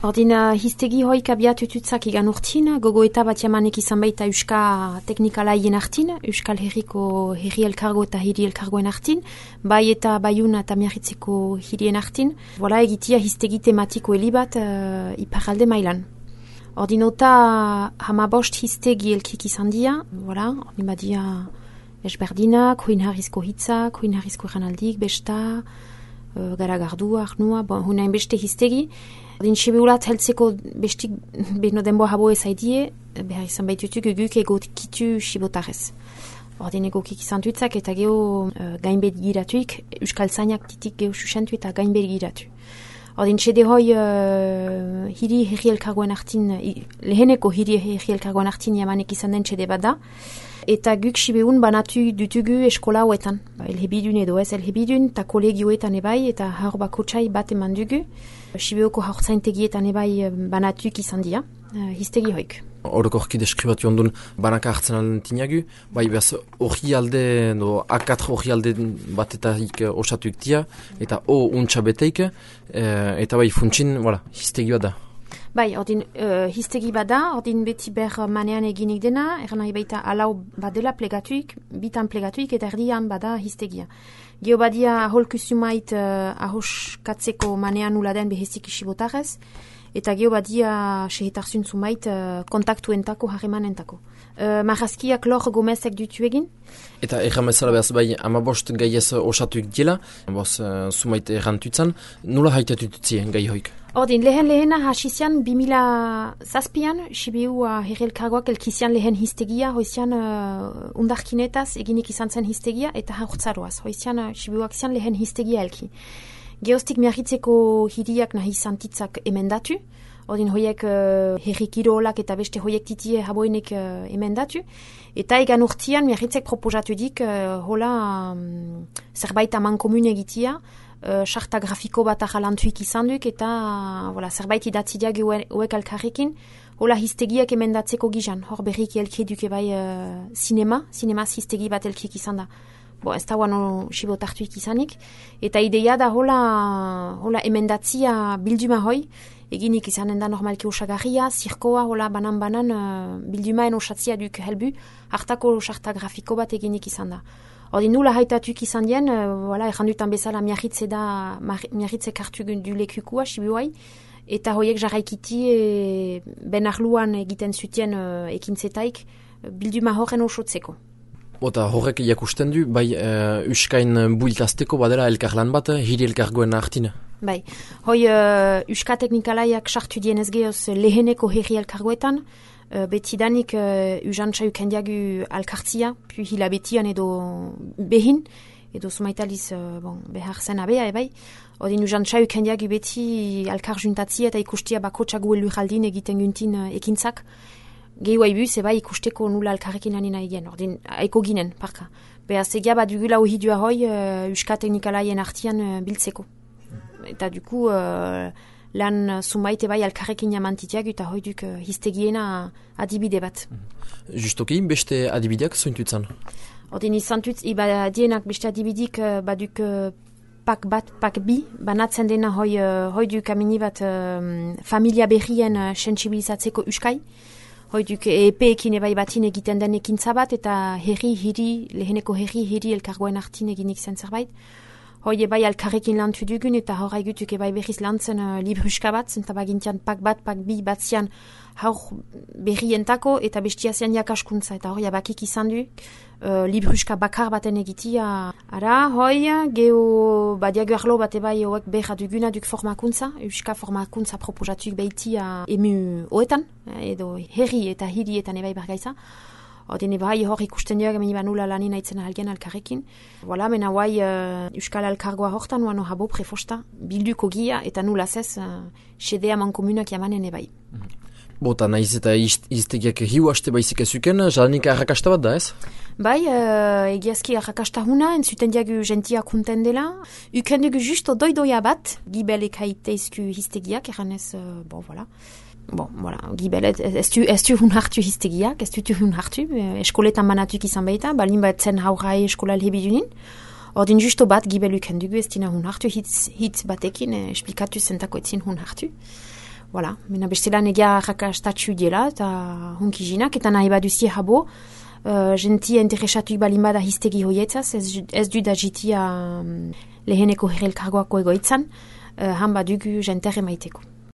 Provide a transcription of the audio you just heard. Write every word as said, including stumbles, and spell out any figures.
Ordin uh, hiztegi hoik abiatututzak igan urtin, gogoeta bat jamanek izan baita Euska teknikalaien artin, Euskal Herriko herri elkargo eta hiri elkargoen artin, bai eta baiuna eta miarritzeko hirien artin. Voilà, egitia hiztegi tematiko helibat uh, iparalde mailan. Ordin ota hamabost hiztegi elkik izan dia, voilà, ordin badia esberdinak, huin harrizko hitzak, huin harrizko janaldik, besta, uh, garagardu, arnua, bon, hunain beste hiztegi. Ordin sibeulat heltzeko bestik beno denboa habo ezaidie, behar izan baitutuk guk egot kitu sibotarez. Ordin egokik izan dutzak eta geho uh, gainbet giratuik, Euskal Zainak titik geho susentu eta gainbet giratu. Ordin txede hoi uh, hiri herri elkargoen artin, leheneko hiri herri elkargoen artin jamanek izan den txede bada, eta guk sibeun banatu dutugu eskola hoetan. Ba, elhebidun edo ez elhebidun, eta kolegioetan ebai, eta haur bako txai bat eman dugu. Sibeoko haurtzaintegietan ebai banatuk izan dira, uh, hiztegi hoik. Orokorki deskribatu ondun banaka hartzen alentinagu, bai behaz hori alde, no, akatr hori alde batetarik osatuik dia, eta o untxa beteik, eh, eta bai funtsin, voilà, hiztegi bat da. Bai, ordin uh, hiztegi bada, ordin beti ber manean eginik dena, erran nahi baita alau badela plegatuik, bitan plegatuik eta erdian bada hiztegia. Geo badia aholkusumait uh, ahoskatzeko manean uladen behezik isibotarez, eta geo badia sehetarsun zumait uh, kontaktuentako, harremanentako. Uh, Marrazkiak lor gomezek dutu egin. Eta erramezala behaz bai amabost gaiez osatuik diela, boz uh, zumait errantutzan, nola haitatutuzi gai hoik? Ordin, lehen lehena hasizian bimila zazpian, Sibiu herri elkargoak elkizian lehen hiztegia, hoizian uh, undarkinetaz eginik izan zen hiztegia, eta haurtzaroaz, hoizian uh, Sibiuak zian lehen hiztegia elki. Geostik miarritzeko hiriak nahi zantitzak emendatu, ordin hoiek uh, herri kirolak eta beste hoiek titie haboenek uh, emendatu, eta egan urtian miarritzek proposatu dik uh, hola um, zerbait aman komun egitia, sarta uh, grafiko bat ahalantuik izan duk, eta voilà, zerbait idatzideak uek alkarrekin, hola hiztegiak emendatzeko gizan, hor berrik elke duke bai uh, sinema, sinemaz hiztegi bat elkik izan da. Bo, ez da guano sibotartuik izanik, eta ideia da hola, hola emendatzia bilduma hoi, eginik izanen da normalki osagarria, zirkoa, hola banan-banan uh, bildumaen osatzia duk helbu, hartako sarta grafiko bat eginik izan da. Ordin nula haitatuk izan dien, uh, voilà, errandutan bezala miarritze da, miarritze kartu du lekukua, sibuai, eta hoiek jarraikiti e, ben arluan egiten zutien uh, ekintzetaik bilduma horren osotzeko. Ota horrek jakusten du, bai uh, Euskain builtazteko badela elkarlan bat, hiri elkargoen hartina? Bai, hoi uh, Euska teknikalaiak sartu dienez gehoz leheneko herri elkargoetan, uh, betidanik uh, usantza ukendiagu alkartzia, pu hilabetian edo behin, edo sumaitaliz uh, bon, behar zen abea, ebai. Odin usantza ukendiagu beti alkar juntatzia eta ikustia bakotxagu elurraldin egiten guntin uh, ekintzak, gehiu haibuz, eba ikusteko nula alkarrekin lanina egin, ordin, aiko ginen, parka. Beaz, egia bat dugula ohidua hoi uh, Euska teknikalaien artian uh, biltzeko. Eta duku uh, lan zumbait eba alkarrekin jamantitiak eta hoi duk uh, hiztegiena adibide bat. Justoki, beste adibideak zointutzan? Ordin, izantutz, iba dienak beste adibidik uh, baduk uh, pak bat, pak bi, banatzen dena hoi, uh, hoi duk amini bat uh, familia berrien uh, sensibilizatzeko Euskai. Hoi duk epeekin ebai batin egiten den ekintza bat, eta herri, hiri, leheneko herri, hiri elkargoen artin eginik zen zerbait. Hoi ebai alkarrekin lantu dugun, eta horra egutuk ebai berriz lantzen uh, libruska bat, zenta bagintian pak bat, pak bi bat zian haur berrientako, eta bestia zian jakaskuntza, eta hori abakik izan du, uh, libruska bakar baten egitia. Ara, hoi, geho badiago arlo bat ebai hoek berra duguna duk formakuntza, euska formakuntza proposatuk behitia emu hoetan, edo herri eta hirietan ebai bergaiza. Odin ebai hor ikusten dira gemeni banula lanin aitzen ahalgen alkarrekin. Voilà, mena guai uh, Euskal Alkargoa hortan, uano habo prefosta, bilduko gia eta nula zez uh, sedea mankomunak jamanen ebai. Bota, nahiz eta iztegiak hiu haste baizik ezuken, jalanik arrakasta bat da ez? Bai, uh, egiazki arrakasta huna, entzuten diagu gentia kunten dela. Uken dugu justo doidoia bat, gibelek haiteizku hiztegiak, eranez, uh, bon, voilà. Bon, voilà, gibel, ez du hun hartu hiztegiak, ez du hun hartu, eskoletan banatuk izan baita, balin bat zen haurai eskola lehebidunin. Ordin justo bat gibel uken dugu, ez dina hun hartu hitz, hitz batekin, esplikatu zentako etzin hun hartu. Voilà, mena bestela negia rakastatxu diela, eta hunkizinak, eta nahi baduzie habo, uh, gentia interesatu balin bada histegi hoietzaz, ez, ez du da jitia um, leheneko herelkargoako egoitzan, uh, han badugu jentere maiteko.